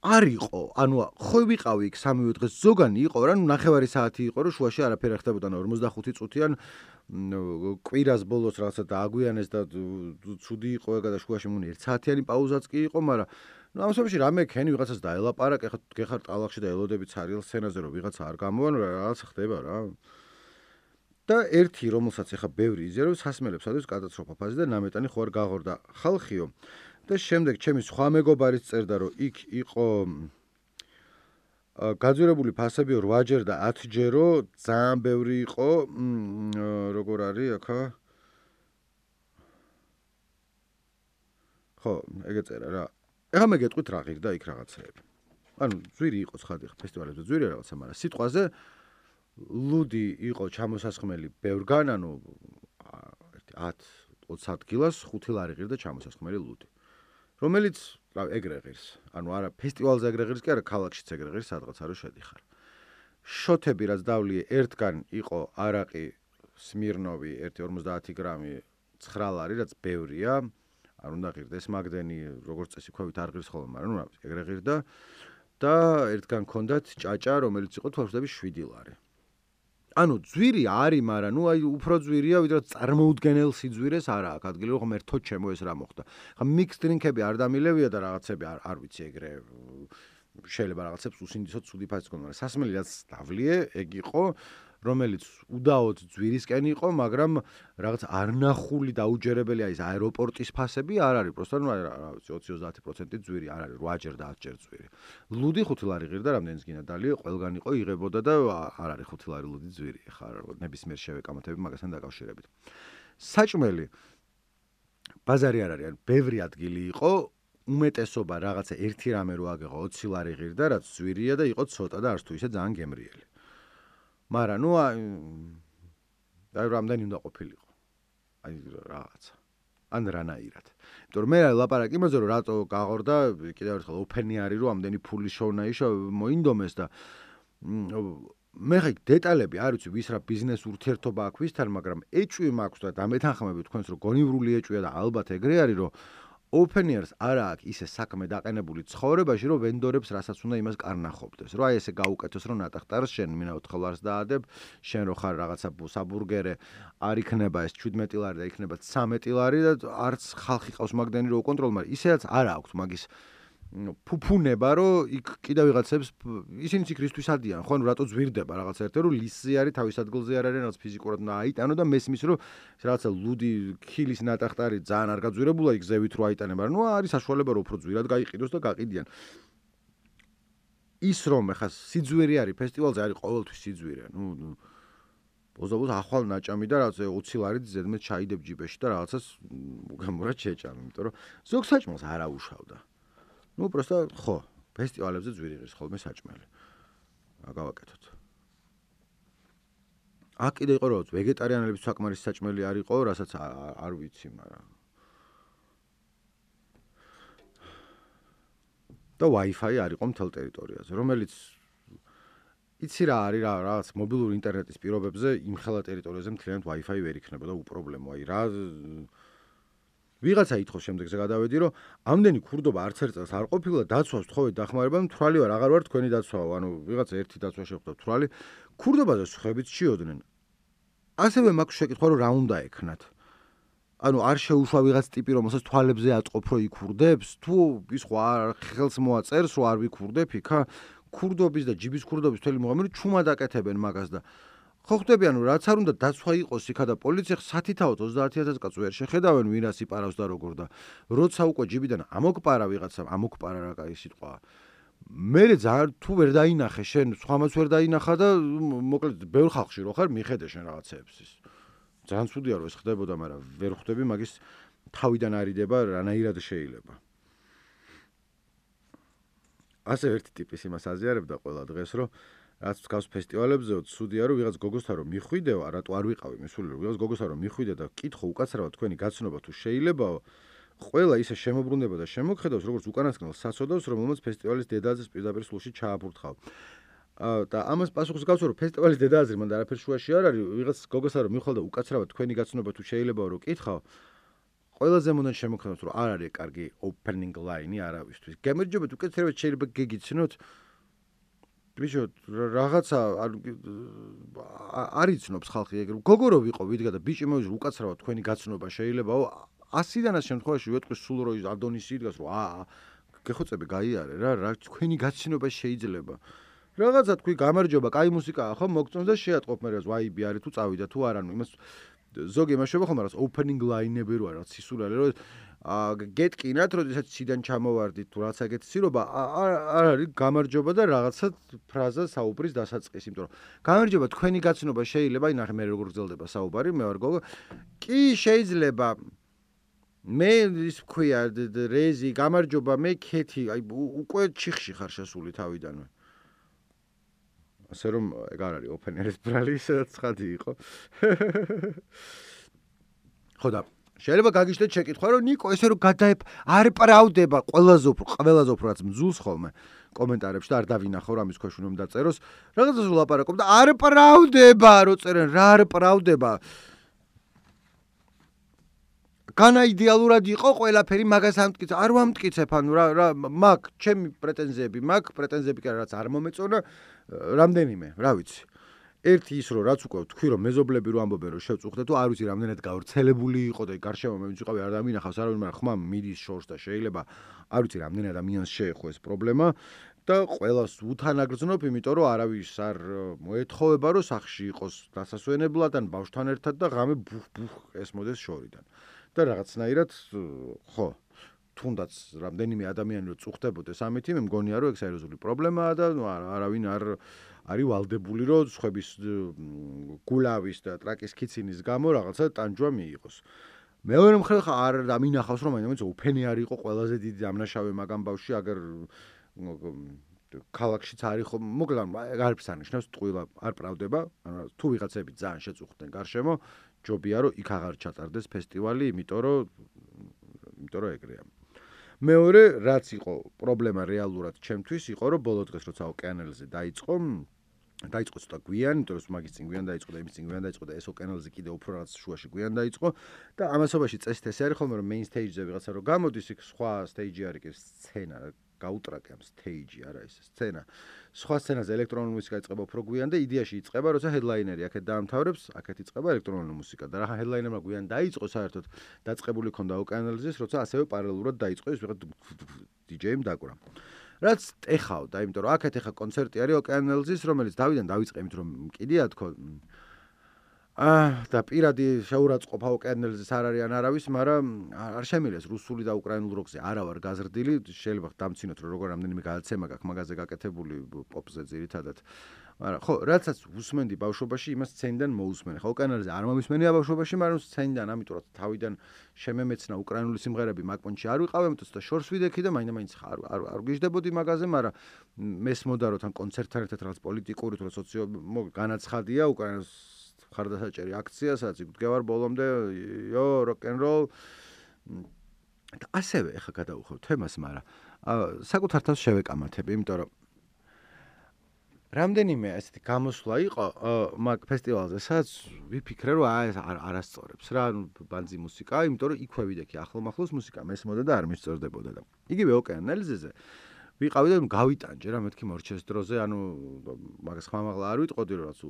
არ იყო, ხო ვიყავი იქ 3 დღეს ზოგანი იყო რა, ნახევარი საათი იყო, რომ შუაში არაფერი არ ხდებოდა, 45 წუთიან კვირას ბოლოს რაღაცა დააგვიანეს და ცუდი იყო ეგა და შუაში მგონი 1 საათიანი პაუზაც კი იყო, მაგრამ ამ შემთხვევაში რამე ქენი ვიღაცას დაელაპარაკე, ხა გეხარ ტალახში და ელოდები ცარიელ სცენაზე რომ ვიღაცა არ გამოვან, რაღაც ხდება რა. და ერთი რომელსაც ეხა ბევრი იზიარებს, სასმელებს ადევს კატასტროფა ფაზი და ნამეტანი ხო არ გაღორდა ხალხიო. და შემდეგ ჩემი სხვა მეგობარიც წერდა რომ იქ იყო გაძვირებული ფასებიო 8ჯერ და 10ჯერო, ძალიან ბევრი იყო, როგორ არის ახლა ხო, ეგე წერა რა. ეხლა მე გეტყვით რა ღირდა იქ რაღაცეები. ანუ ძვირი იყო ცხადი ფესტივალებზე ძვირი რაღაცა, მაგრამ სიტყვაზე ლუდი იყო ჩამოსასხმელი ბევრგან, ანუ 10-20 ადგილას 5 ლარი ღირდა ჩამოსასხმელი ლუდი. რომელიც ეგრე ღირს. ანუ არა ფესტივალზე ეგრე ღირს კი არა, ქალაქშიც ეგრე ღირს, სადღაც არ შედიხარ. შოთები რაც დავლიე, ერთგან იყო არაყი სმირნოვი 1.50 გრამი 9 ლარი, რაც ბევრია. არ უნდა ღირდეს მაგდენი, როგორც წესი ქვევით არ ღირს ხოლმე, მაგრამ ეგრე ღირდა და ერთგან ჰქონდათ ჭაჭა, რომელიც იყო თვალხმდები 7 ლარი. ანუ ძვირი არის, მაგრამ აი უფრო ძვირია, ვიდრე წარმოუდგენელ სიძვირეს არა აქვს ადგილი, რომ ერთო ჩემო ეს რა მოხდა. ხა მიქს დრინკები არ დამილევია და რაღაცები არ ვიცი ეგრე შეიძლება რაღაცებს უსინდისოდ ცუდი ფასი გქონდა, მაგრამ სასმელი რაც დავლიე, ეგ იყო, რომელიც უდაოდ ძვირისკენ იყო, მაგრამ რაღაც არნახული დაუჯერებელი აი ეს აეროპორტის ფასები არ არის, პროსტა რა ვიცი 20-30% ძვირი არ არის, 8ჯერ და 10ჯერ ძვირი. ლუდი 5 ლარი ღირდა, რამდენიც გინდა დალიე, ყველგან იყო იღებოდა და არ არის 5 ლარი ლუდი ძვირი, ხა ნებისმიერ შევეკამათები მაგასთან დაკავშირებით. საჭმელი ბაზარი არ არის, ანუ ბევრი ადგილი იყო, უმეტესობა რაღაცა ერთი რამე რო აგეღო 20 ლარი ღირდა, რაც ძვირია და იყო ცოტა და არც თუ ისე ძალიან გემრიელი. მაგრამ აი რამდენი უნდა ყოფილიყო. აი რაღაცა. ან რანაირად. იმიტომ რომ მე ლაპარაკი იმაზე რომ რატო გაღორდა, კიდევ ერთხელ ოფენი არის რომ ამდენი ფულის შოვნაიშო მოინდომეს და მე ხა დეტალები არ ვიცი ვის რა ბიზნეს ურთიერთობა აქვს ვისთან, მაგრამ ეჭვი მაქვს და დამეთანხმები თქვენს რომ გონივრული ეჭვია და ალბათ ეგრე არის რომ ოფენიერს არა აქვს ისე საქმე დაყენებული ცხოვრებაში, რომ ვენდორებს რასაც უნდა იმას კარნახობდეს. რომ აი ესე გაუკეთოს, რომ ნატახტარს შენ მინა 4 ლარს დაადებ, შენ რო ხარ რაღაცა საბურგერე, არ იქნება ეს 17 ლარი და იქნება 13 ლარი და არც ხალხი ყავს მაგდენი რო უკონტროლ, მაგრამ ისედაც არა აქვს მაგის ფუფუნება, რომ იქ კიდევ ვიღაცებს ისინიც იქ რისთვის ადიან, ხო, ანუ რატო ძვირდება რაღაცა ერთე, რომ ლისზე არის, თავის ადგილზე არ არის, რაღაც ფიზიკურად უნდა აიტანო და მესმის, რომ რაღაცა ლუდი ქილის ნატახტარი ძალიან არ გაძვირებულა იქ ზევით რო აიტანება, მაგრამ არის საშუალება რომ უფრო ძვირად გაიყიდოს და გაყიდიან. ის რომ ეხა სიძვირი არის ფესტივალზე, არის ყოველთვის სიძვირი, ბოზ-ბოზ ახვალ ნაჭამი და რაღაცა 20 ლარი ზედმეტ ჩაიდებ ჯიბეში და რაღაცას გამორად შეჭამ, იმიტომ რომ ზოგ საჭმელს არ აუშავდა. პროსტა ხო, ფესტივალებზე ძვირი ღირს ხოლმე საჭმელი. რა გავაკეთოთ? აქ კიდე იყო რომ ვეგეტარიანელების საკმარის საჭმელი არ იყო, რასაც არ ვიცი, მაგრამ და Wi-Fi არ იყო მთელ ტერიტორიაზე, რომელიც იცი რა არის რა, რაღაც მობილური ინტერნეტის პირობებზე იმ ხელა ტერიტორიაზე მთლიანად Wi-Fi ვერ იქნებოდა უპრობლემო, აი რა ვიღაცა ითხოვს შემდეგზე გადავედი, რომ ამდენი ქურდობა არც ერთ წელს არ ყოფილა, დაცვას თხოვეთ დახმარებამ, თვრალი ვარ, აღარ ვარ თქვენი დაცვაო, ანუ ვიღაცა ერთი დაცვა შეხვდა თვრალი, ქურდობაზე სხვებით ჩიოდნენ. ასევე მაქვს შეკითხვა, რომ რა უნდა ექნათ. ანუ არ შეუშვა ვიღაც ტიპი, რომელსაც თვალებზე აწყობ, რომ იქურდებს, თუ ის ხო არ ხელს მოაწერს, რომ არ ვიქურდებ იქა, ქურდობის და ჯიბის ქურდობის მთელი მუღამი ჩუმად აკეთებენ მაგას და ხო ხვდები, ანუ რაც არ უნდა დაცვა იყოს იქა და პოლიცია სათითაოდ 30000 კაცს ვერ შეხედავენ, ვინას იპარავს და როგორ და როცა უკვე ჯიბიდან ამოგპარა ვიღაცამ, ამოგპარა რა კაი სიტყვა. მე ძალიან თუ ვერ დაინახე შენ, სხვამაც ვერ დაინახა და მოკლედ ბევრ ხალხში რო ხარ, მიხედე შენ რაღაცეებს ის. ძალიან ცუდია რომ ეს ხდებოდა, მაგრამ ვერ ხვდები მაგის თავიდან არიდება რანაირად შეიძლება. ასე ერთი ტიპის იმას აზიარებდა ყველა დღეს, რომ რაც გავს ფესტივალებზე, ცუდია რომ ვიღაც გოგოსთან რომ მიხვიდეო, რატო არ ვიყავი მისული, რომ ვიღაც გოგოსთან რომ მიხვიდე და კითხო უკაცრავად თქვენი გაცნობა თუ შეიძლებაო, ყველა ისე შემოbrunდება და შემოგხედავს, როგორც უკანასკნელ საცოდავს, რომელმაც ფესტივალის დედააზრის პირდაპირ სულში ჩააბურთხავ. და ამას პასუხს გავს, რომ ფესტივალის დედააზრი მანდ არაფერ შუაში არ არის, ვიღაც გოგოსთან რომ მიხვალ და უკაცრავად თქვენი გაცნობა თუ შეიძლებაო, რომ კითხავ, ყველაზე მოდან შემოგხედავს, რომ არ არის კარგი opening line-ი არავისთვის. გემერჯობათ უკეთესად შეიძლება გეგიცნოთ ბიჭო, რაღაცა არ იცნობს ხალხი ეგრე. გოგო რო ვიყო, ვიდგა და ბიჭი მოვიძრო უკაცრავად თქვენი გაცნობა შეიძლებაო, 100-დანაც შემთხვევაში ვეტყვის სულ რო ადონისი იდგას, რომ გეხოცები გაიარე რა თქვენი გაცნობა შეიძლება. რაღაცა თქვი გამარჯობა, კაი მუსიკაა, ხო, მოგწონს და შეატყობ მე რა ვაიბი არის თუ წავიდა თუ არა, ნუ იმას ზოგი იმაშობა ხომ რაღაც opening line-ები რო არის, სისულელე რო გეტკინათ, როდესაც ციდან ჩამოვარდით თუ რაც ეგეთი სირობა, არ არის გამარჯობა და რაღაცა ფრაზა საუბრის დასაწყისი, იმიტომ რომ გამარჯობა თქვენი გაცნობა შეიძლება, აი ნახე მე როგორ გრძელდება საუბარი, მე ვარ გოგო. კი შეიძლება მე ის ვქვია რეზი, გამარჯობა, მე ქეთი, აი უკვე ჩიხში ხარ შესული თავიდანვე. ასე რომ ეგ არ არის ოპენერის ბრალი, სადაც ცხადი იყო. ხო და შეიძლება გაგიჩნდეთ შეკითხვა, რომ ნიკო ესე რომ არ პრავდება ყველაზე უფრო რაც მძულს ხოლმე კომენტარებში და არ დავინახო რა მის ქვეშ უნდა დაწეროს. რაღაცას ვლაპარაკობ და არ პრავდება, რო წერენ რა არ პრავდება. განა იდეალურად იყო ყველაფერი მაგას ამტკიცე, არ ვამტკიცებ, ანუ რა მაგ ჩემი პრეტენზიები კი რაც არ მომეწონა რამდენიმე, რა ვიცი. ერთი ის რომ რაც უკვე თქვი რომ მეზობლები რო ამბობენ რომ შევწუხდე თუ არ ვიცი რამდენად გავრცელებული იყო და გარშემო მე ვინც ვიყავი არ დამინახავს არავინ, მაგრამ ხმა მიდის შორს და შეიძლება არ ვიცი რამდენად ადამიანს შეეხო ეს პრობლემა და ყველას უთანაგრძნობ, იმიტომ რომ არავის არ მოეთხოვება რომ სახში იყოს დასასვენებლად ან ბავშვთან ერთად და ღამე ბუხ ესმოდეს შორიდან. და რაღაცნაირად ხო თუნდაც რამდენიმე ადამიანი რო წუხდებოდეს ამითი, მე მგონია რომ ეგ სერიოზული პრობლემაა და არავინ არ არის ვალდებული რომ სხვების გულავის და ტრაკის ქიცინის გამო რაღაცა ტანჯვა მიიღოს. მეორე მხრივ არ დამინახავს რომ მაინც უფენი არ იყო ყველაზე დიდი დამნაშავე მაგამ ბავშვი, აგერ ქალაქშიც არის ხო, მოკლედ არაფერს არ ნიშნავს, ტყუილა არ პრავდება, ანუ თუ ვიღაცები ძალიან შეწუხდნენ გარშემო, ჯობია რომ იქ აღარ ჩატარდეს ფესტივალი, იმიტომ რომ ეგრეა. მეორე რაც იყო პრობლემა რეალურად ჩემთვის იყო რომ ბოლო დღეს როცა ოკეანელზე დაიწყო ცოტა გვიან, იმიტომ რომ მაგის წინ გვიან დაიწყო და იმის წინ გვიან დაიწყო და ეს ოკეანელზე კიდე უფრო რაღაც შუაში გვიან დაიწყო და ამასობაში წესით ესე არის ხოლმე რომ main stage-ზე ვიღაცა რო გამოდის, იქ სხვა stage-ი არის კი სცენა, გაუტრაკე ამ stage-ი არა ეს სცენა. სხვა სცენაზე ელექტრონული მუსიკა იწყება უფრო გვიან და იდეაში იწყება, როცა headliner-ი აქეთ დაამთავრებს, აქეთ იწყება ელექტრონული მუსიკა და რა headliner-მა გვიან დაიწყო საერთოდ დაწყებული ქონდა ოკეანელზის, როცა ასევე პარალელურად დაიწყო ეს ვიღაც DJ-მ დაკვრა. რაც ეხავდა, იმიტომ რომ აქეთ ეხა კონცერტი არის ოკეანელზის, რომელიც დავიდან დავიწყე, იმიტომ რომ კიდია თქო და პირადი შეურაცხყოფა ოკეანელზის არ არის ან არავის, მაგრამ არ შემიძლია რუსული და უკრაინულ როკზე არა ვარ გაზრდილი, შეიძლება დამცინოთ რომ როგორ რამდენიმე გადაცემა გაქვს მაგაზე გაკეთებული პოპზე ძირითადად. მაგრამ ხო, რაცაც უსმენდი ბავშვობაში, იმას სცენიდან მოусმენ. ხო, ოკეანელზე არ მომისმენია ბავშვობაში, მაგრამ სცენიდან, ამიტომ რომ თავიდან შემემეცნა უკრაინული სიმღერები მაგპონჩი არ ვიყავი, ამიტომ და შორს ვიდექი და მაინც არ გიждდებოდი მაგაზე, მაგრამ მესმოდა რომ თან კონცერტთან ერთად რაღაც პოლიტიკური თუ სოციო განაცხადია უკრაინას ხარდასაჭერი აქცია, სადაც იგდგევარ ბოლომდე, როკ-ენ-როლ. და ასევე ეხა გადავუხევ თემას, მაგრამ საკუთარ თავს შევეკამათებ, იმიტომ რომ რამდენიმე ესეთი გამოსვლა იყო მაგ ფესტივალზე, სადაც ვიფიქრე, რომ ეს არასწორებს რა, ბანძი მუსიკაა, იმიტომ რომ იქვე ვიდექი ახლომახლოს მუსიკა მესმოდა და არ მისწორდებოდა და იგივე ოკეანელზეზე ვიყავი და გავიტანჯე რა მეთქი მორჩეს დროზე, ანუ მაგას ხმამაღლა არ ვიტყოდი რომ რაც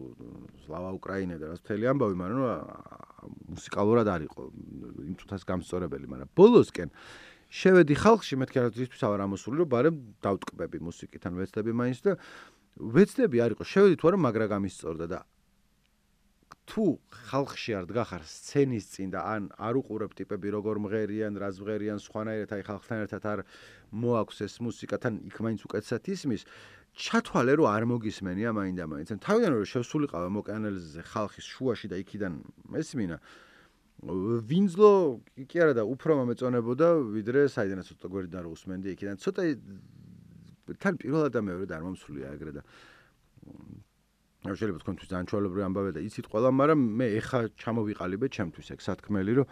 სლავა უკრაინა და რაც მთელი ამბავი, მაგრამ მუსიკალურად არ იყო იმ წუთას გამსწორებელი, მაგრამ ბოლოსკენ შევედი ხალხში, მეთქი რა ძისთვის ავარ ამოსული, რომ ბარემ დავტკბები მუსიკით, ან ვეცდები მაინც და ვეცდები არ იყო, შევედი თუ არა მაგრა გამისწორდა და თუ ხალხში არ დგახარ სცენის წინ და ან არ უყურებ ტიპები როგორ მღერიან, რას მღერიან, სხვანაირად აი ხალხთან ერთად არ მოაქვს ეს მუსიკა, თან იქ მაინც უკეთესად ისმის, ჩათვალე რომ არ მოგისმენია მაინდა-მაინც. ან თავიდან რომ შევსულიყავ ამ ოკეანელზე ხალხის შუაში და იქიდან მესმინა, ვინძლო კი არა და უფრო მომეწონებოდა, ვიდრე საიდანაც ცოტა გვერდიდან რო უსმენდი იქიდან. ცოტა თან პირველად და მეორედ არ მომსულია ეგრე და შეიძლება თქვენთვის ძალიან ჩვეულებრივი ამბავია და იცით ყველა, მაგრამ მე ეხა ჩამოვიყალიბე ჩემთვის ეგ სათქმელი, რომ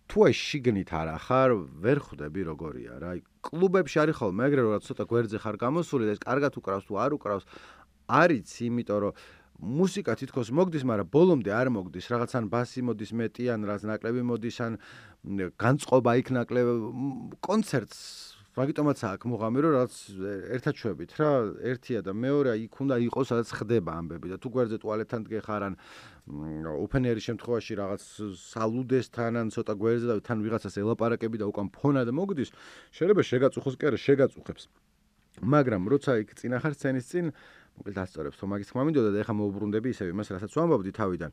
თუ აი შიგნით არ ახარ, ვერ ხვდები როგორია რა. აი კლუბებში არის ხოლმე ეგრე რომ ცოტა გვერდზე ხარ გამოსული და ეს კარგად უკრავს თუ არ უკრავს, არიც იმიტომ რომ მუსიკა თითქოს მოგდის, მაგრამ ბოლომდე არ მოგდის, რაღაც ან ბასი მოდის მეტი, ან რაც ნაკლები მოდის, ან განწყობა იქ ნაკლები კონცერტს მაგიტომაც აქ მუღამი რომ რაც ერთად შვებით რა, ერთია და მეორე იქ უნდა იყოს სადაც ხდება ამბები და თუ გვერდზე ტუალეტთან დგეხარ ან ოფენერის შემთხვევაში რაღაც სალუდესთან ან ცოტა გვერდზე და თან ვიღაცას ელაპარაკები და უკან ფონად მოგდის, შეიძლება შეგაწუხოს კი არა შეგაწუხებს. მაგრამ როცა იქ წინ ახარ სცენის წინ მოკლედ ასწორებს თო მაგის თქმა მინდოდა და ეხლა მოუბრუნდები ისევ იმას რასაც ვამბობდი თავიდან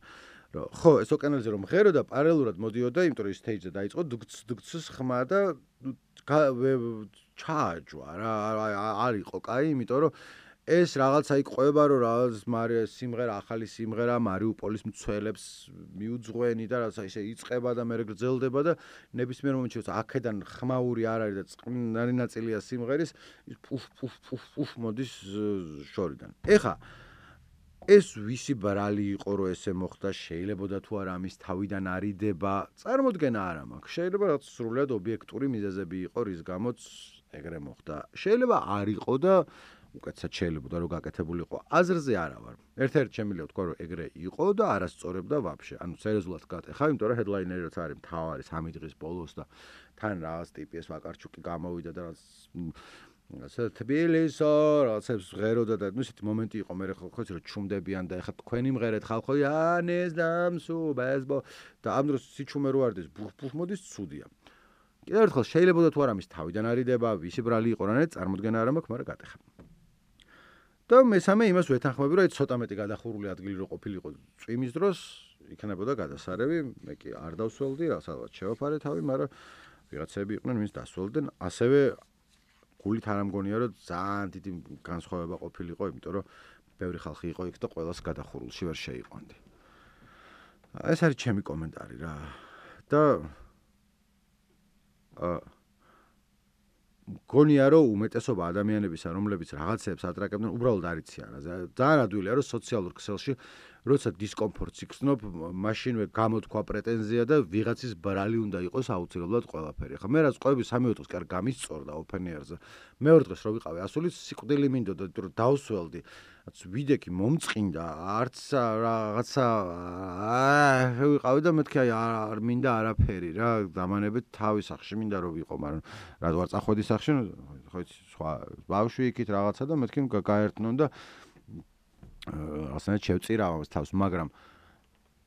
რომ ხო ეს ოკეანელზე რომ მღერო და პარალელურად მოდიოდა იმიტომ რომ ის სტეიჯზე დაიწყო დუქცის ხმა და ჩააჯვა რა არ იყო კაი იმიტომ რომ ეს რაღაცა იქ ყვება რომ რაღაც სიმღერა ახალი სიმღერა მარიუპოლის მცველებს მიუძღვენი და რაღაცა ისე იწყება და მე გრძელდება და ნებისმიერ მომენტში აქედან ხმაური არ არის და წყნარი ნაწილია სიმღერის პუფ მოდის შორიდან. ეხა ეს ვისი ბრალი იყო რომ ესე მოხდა, შეიძლებოდა თუ არა ამის თავიდან არიდება, წარმოდგენა არ მაქვს. შეიძლება რაც სრულად ობიექტური მიზეზები იყო, რის გამოც ეგრე მოხდა. შეიძლება არ იყო და უკეთესად შეიძლება რომ გაკეთებულიყო. აზრზე არა ვარ. ერთ-ერთი შემიძლია ვთქვა რომ ეგრე იყო და არასწორებდა ვაფშე. ანუ სერიოზულად გატეხა, იმიტომ რომ ჰედლაინერი რაც არის მთავარი 3 დღის ბოლოს და თან რაღაც ტიპი ეს ვაკარჩუკი გამოვიდა და რაღაც თბილისო რაღაცებს ღეროდა და ისეთი მომენტი იყო მე ხო ხოც რომ ჩუმდებიან და ეხლა თქვენი მღერეთ ხალხო ანეს დამსუბეს და ამ დროს სიჩუმე რო არდეს ბუფ მოდის ცუდია. კიდევ ერთხელ შეიძლება თუ არა მის თავიდან არიდება, ვისი ბრალი იყო რანაირად წარმოდგენა არ მაქვს, მაგრამ გატეხა. და მესამე იმას ვეთანხმები რომ ცოტა მეტი გადახურული ადგილი რო ყოფილიყო წვიმის დროს, იქნებოდა გადასარევი, მე კი არ დავსველდი, რასაც შევაფარე თავი, მაგრამ ვიღაცები იყვნენ, ვინც დასველდნენ, ასევე გულით არ ამგონია რომ ძალიან დიდი განსხვავება ყოფილიყო, იმიტომ რომ ბევრი ხალხი იყო იქ და ყველას გადახურულში ვერ შეიყვანდი. ეს არის ჩემი კომენტარი რა. და მგონია რომ უმეტესობა ადამიანებისა, რომლებიც რაღაცებს ატრაკებდნენ, უბრალოდ არ იციან რა. ძალიან ადვილია რომ სოციალურ ქსელში როცა დისკომფორტს იქნებ, მაშინვე გამოთქვა პრეტენზია და ვიღაცის ბრალი უნდა იყოს აუცილებლად ყველაფერი. ხა მე რაც ყვები 3 დღეს კარ გამისწორდა ოფენიერზე. მეორე დღეს რო ვიყავი ასულით, სიკვდილი მინდოდა, რომ დავსველდი. ვიდექი მომწყინდა, არც რაღაცა ვიყავი და მეთქი აი არ მინდა არაფერი რა, დამანებით თავის სახში მინდა რომ ვიყო, მაგრამ რა ვარ წახვედი სახში, ხო იცი, სხვა ბავშვი იქით რაღაცა და მეთქი გაერთნონ და ასენად შევწირა ამას თავს, მაგრამ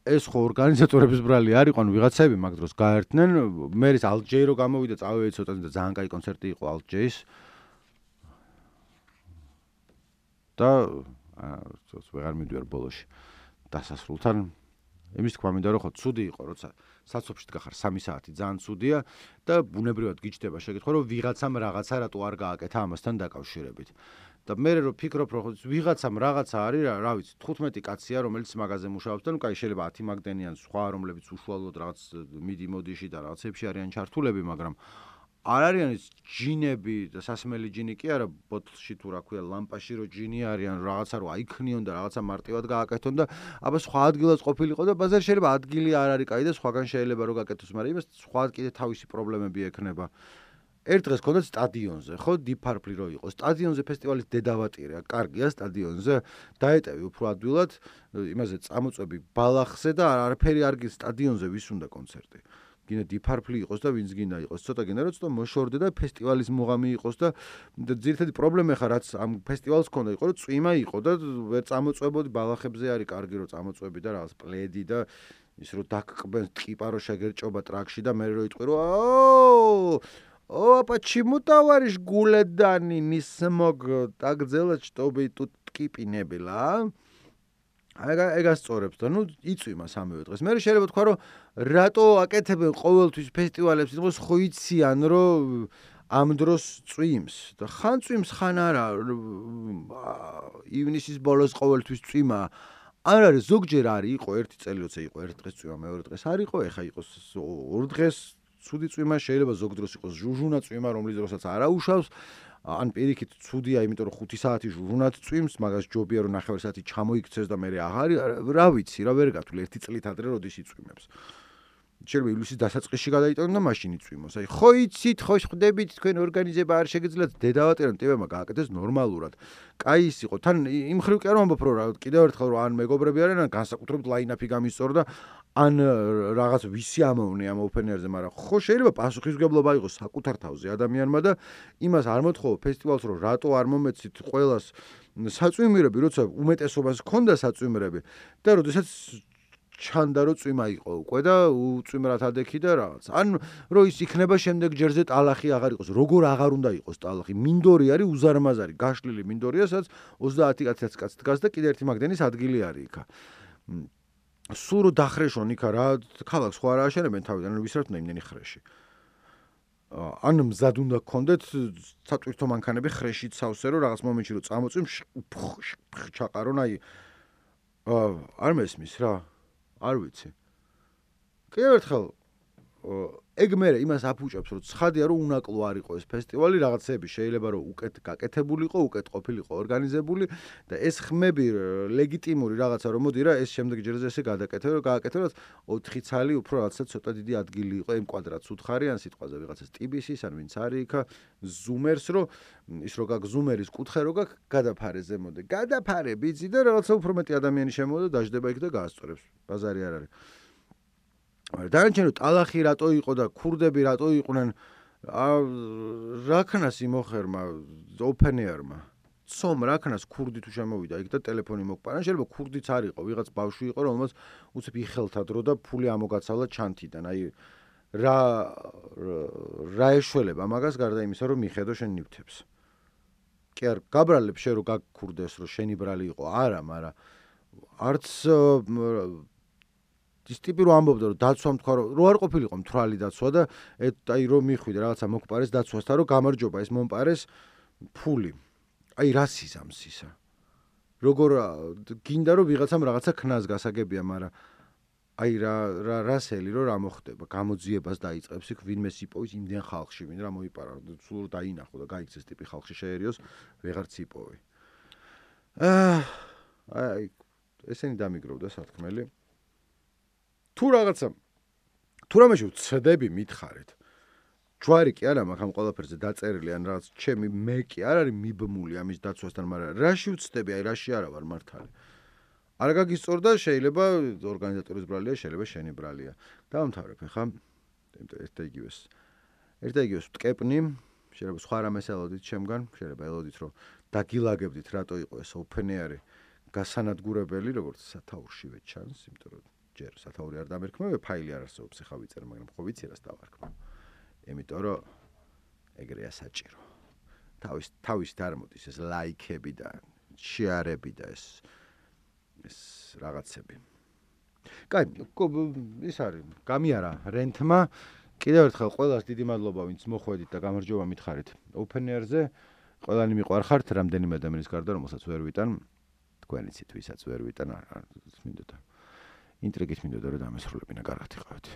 ეს ხო ორგანიზატორების ბრალი არ იყო, ვიღაცები მაგ დროს გაერთნენ, მე ის ალჯეი რო გამოვიდა, წავედი ცოტა და ძალიან კაი კონცერტი იყო ალჯეის. და ვეღარ მივდივარ ბოლოში დასასრულთან. იმის თქმა მინდა რომ ხო ცუდი იყო, როცა საცობში დგახარ 3 საათი, ძალიან ცუდია და ბუნებრივად გიჩნდება შეკითხვა, რომ ვიღაცამ რაღაცა რატო არ გააკეთა ამასთან დაკავშირებით. და მე რო ფიქრობ, რომ ვიღაცამ რაღაცა არის, რა ვიცი, 15 კაცია, რომელიც მაგაზე მუშაობს და ნუ კაი შეიძლება 10 მაგდენიან სხვა, რომლებიც უშუალოდ რაღაც მიდი-მოდიში და რაღაცებში არიან ჩართულები, მაგრამ არ არიან ის ჯინები და სასმელი ჯინი კი არა, ბოთლში თუ რა ქვია, ლამპაში რო ჯინი არიან, რაღაცა რო აიქნიონ და რაღაცა მარტივად გააკეთონ და აბა სხვა ადგილას ყოფილიყო და ბაზარი შეიძლება ადგილი არ არის კაი და სხვაგან შეიძლება რომ გაკეთოს, მაგრამ იმას სხვა კიდე თავისი პრობლემები ექნება. ერთ დღეს ქონდა სტადიონზე, ხო, დიფარფლი რო იყო. სტადიონზე ფესტივალის დედავატირია, კარგია სტადიონზე, დაეტევი უფრო ადვილად, იმაზე წამოწვევი ბალახზე და არაფერი არ გის სტადიონზე ვის უნდა კონცერტი. გინდა დიფარფლი იყოს და ვინც გინდა იყოს, ცოტა გინდა რომ ცოტა მოშორდე და ფესტივალის მუღამი იყოს და ძირითადი პრობლემა ხა რაც ამ ფესტივალს ქონდა იყო რომ წვიმა იყო და ვერ წამოწვებოდი ბალახებზე არის კარგი რომ წამოწვები და რაღაც პლედი და ის რომ დაკყბენ ტყიპა რომ შეგერჭობა ტრაქში და მე რო იტყვი რომ О, почему, товарищ Гуледани, не смог так сделать, чтобы тут ტკიპი ნებილა? ეგას წორებს და ნუ იწვიმა სამივე დღეს. მე შეიძლება თქვა რომ რატო აკეთებენ ყოველთვის ფესტივალებს, იყოს ხო იციან რომ ამ დროს წვიმს და ხან წვიმს ხან არა ივნისის ბოლოს ყოველთვის წვიმა არ არის ზოგჯერ არის იყო ერთი წელი როცა იყო ერთ დღეს წვიმა მეორე დღეს არ იყო ეხა იყოს ორ დღეს ცუდი წვიმა შეიძლება ზოგ დროს იყოს ჟუჟუნა წვიმა რომლის დროსაც არაუშავს ან პირიქით ცუდია იმიტომ რომ 5 საათი ჟუჟუნად წვიმს მაგას ჯობია რომ 9 საათი ჩამოიქცეს და მე რა ვიცი რა ვერ გათვლი ერთი წლით ადრე როდის იწვიმებს შეიძლება ივლისის დასაწყისში გადაიტანონ და მაშინ იწვიმოს აი ხო იცით ხო ხვდებით თქვენ ორგანიზება არ შეგიძლიათ დედავატერან ტიპებმა გააკეთეს ნორმალურად კაი ის იყო თან იმ ხრივ კი არ ვამბობ რომ კიდევ ერთხელ რომ ან მეგობრები არიან ან განსაკუთრებით ლაინაპი გამისწორდა ან რაღაც ვისი ამოვნე ამ ოფენერზე მაგრამ ხო შეიძლება პასუხისმგებლობა იყოს საკუთარ თავზე ადამიანმა და იმას არ მოთხოვო ფესტივალს რომ რატო არ მომეცით ყველას საწვიმირები როცა უმეტესობას ჰქონდა საწვიმირები და როდესაც ჩანდა რომ წვიმა იყო უკვე და უწვიმრად ადექი და რაღაც. ან რომ ის იქნება შემდეგ ჯერზე ტალახი აღარ იყოს. როგორ აღარ უნდა იყოს ტალახი? მინდორი არის უზარმაზარი, გაშლილი მინდორია, სადაც 30 კაცი დგას და კიდე ერთი მაგდენის ადგილი არის იქა. სულ რომ დახრეშონ იქა რა, ქალაქს ხო არ ააშენებენ თავიდან, რომ ვისრათ უნდა იმდენი ხრეში. ან მზად უნდა გქონდეთ სატვირთო მანქანები ხრეშით სავსე რომ რაღაც მომენტში რომ წამოწვიმ ჩაყარონ აი არ მესმის რა არ ვიცი. კიდევ ერთხელ ეგ მე იმას აფუჭებს რომ ცხადია რომ უნაკლო არ იყო ეს ფესტივალი რაღაცები შეიძლება რომ უკეთ გაკეთებულიყო, უკეთ ყოფილიყო ორგანიზებული და ეს ხმები ლეგიტიმური რაღაცა რომ მოდი რა ეს შემდეგ ჯერზე ესე გააკეთებოთ 4 ცალი უფრო რაღაცა ცოტა დიდი ადგილი იყო იმ კვადრატს უთხარი ან სიტყვაზე ვიღაცას ტიბისის ან ვინც არის იქა ზუმერს რომ ის რო გაკ ზუმერის კუთხე რო გაკ გადაფარე ზემოდე გადაფარე ბიძი და რაღაცა უფრო მეტი ადამიანი შემოვიდა დაждდება იქ და გაასწორებს ბაზარი არ არის დანარჩენი ტალახი რატო იყო და ქურდები რატო იყვნენ რაქნას იმოხერმა ოფენერმა ცომ რაქნას ქურდი თუ შემოვიდა იქ და ტელეფონი მოგპარა შეიძლება ქურდიც არ იყო ვიღაც ბავშვი იყო რომელსაც უცებ იხელთა დრო და ფული ამოგაცავლა ჩანთიდან აი რა ეშველება მაგას გარდა იმისა რომ მიხედო შენ ნივთებს კი არ გაბრალებ შენ რომ გაქურდეს რომ შენი ბრალი იყო არა მაგრამ არც ის ტიპი რომ ამბობდა რომ დაცვა თქვა რომ არ ყოფილიყო მთვრალი დაცვა და აი რომ მიხვიდა რაღაცა მოგპარეს დაცვასთან რომ გამარჯობა ეს მომპარეს ფული აი რა სიზამს ისა როგორ გინდა რომ ვიღაცამ რაღაცა ქნას გასაგებია მაგრამ აი რასელი რომ რა მოხდება გამოძიებას დაიწყებს იქ ვინმეს იპოვის იმდენ ხალხში ვინ რა მოიპარა სულ დაინახო და გაიქცეს ტიპი ხალხში შეერიოს ვეღარც იპოვი აი ესენი დამიგროვდა სათქმელი თუ რაღაცა თუ რამეში ვცდები მითხარით ჯვარი კი არა მაგ ამ ყველაფერზე დაწერილი ან რაღაც ჩემი მე კი არ არის მიბმული ამის დაცვასთან მაგრამ რაში ვცდები აი რაში არა ვარ მართალი არ გაგისწორდა შეიძლება ორგანიზატორის ბრალია შეიძლება შენი ბრალია დავამთავრებ ხა ერთ იგივეს ვტკეპნი შეიძლება სხვა რამეს ელოდით ჩემგან შეიძლება ელოდით რომ დაგილაგებდით რატო იყო ეს ოფენერი გასანადგურებელი როგორც სათაურშივე ჩანს იმიტომ რომ ჯერ სათაური არ დამერქმევ ფაილი არ არსებობს ხა ვიწერ მაგრამ ხო ვიცი რას დავარქმევ იმიტომ რომ ეგრეა საჭირო თავის დარმოდის ეს ლაიქები და შეარები და ეს რაღაცები კაი ის არის გამიარა რენტმა კიდევ ერთხელ ყველას დიდი მადლობა ვინც მოხვედით და გამარჯობა მითხარით ოფენერზე ყველანი მიყვარხართ რამდენიმე ადამიანის გარდა რომელსაც ვერ ვიტან თქვენიცით ვისაც ვერ ვიტან არ მინდოდა ინტრიგით მინდოდა რომ დამესრულებინა კარგად იყავით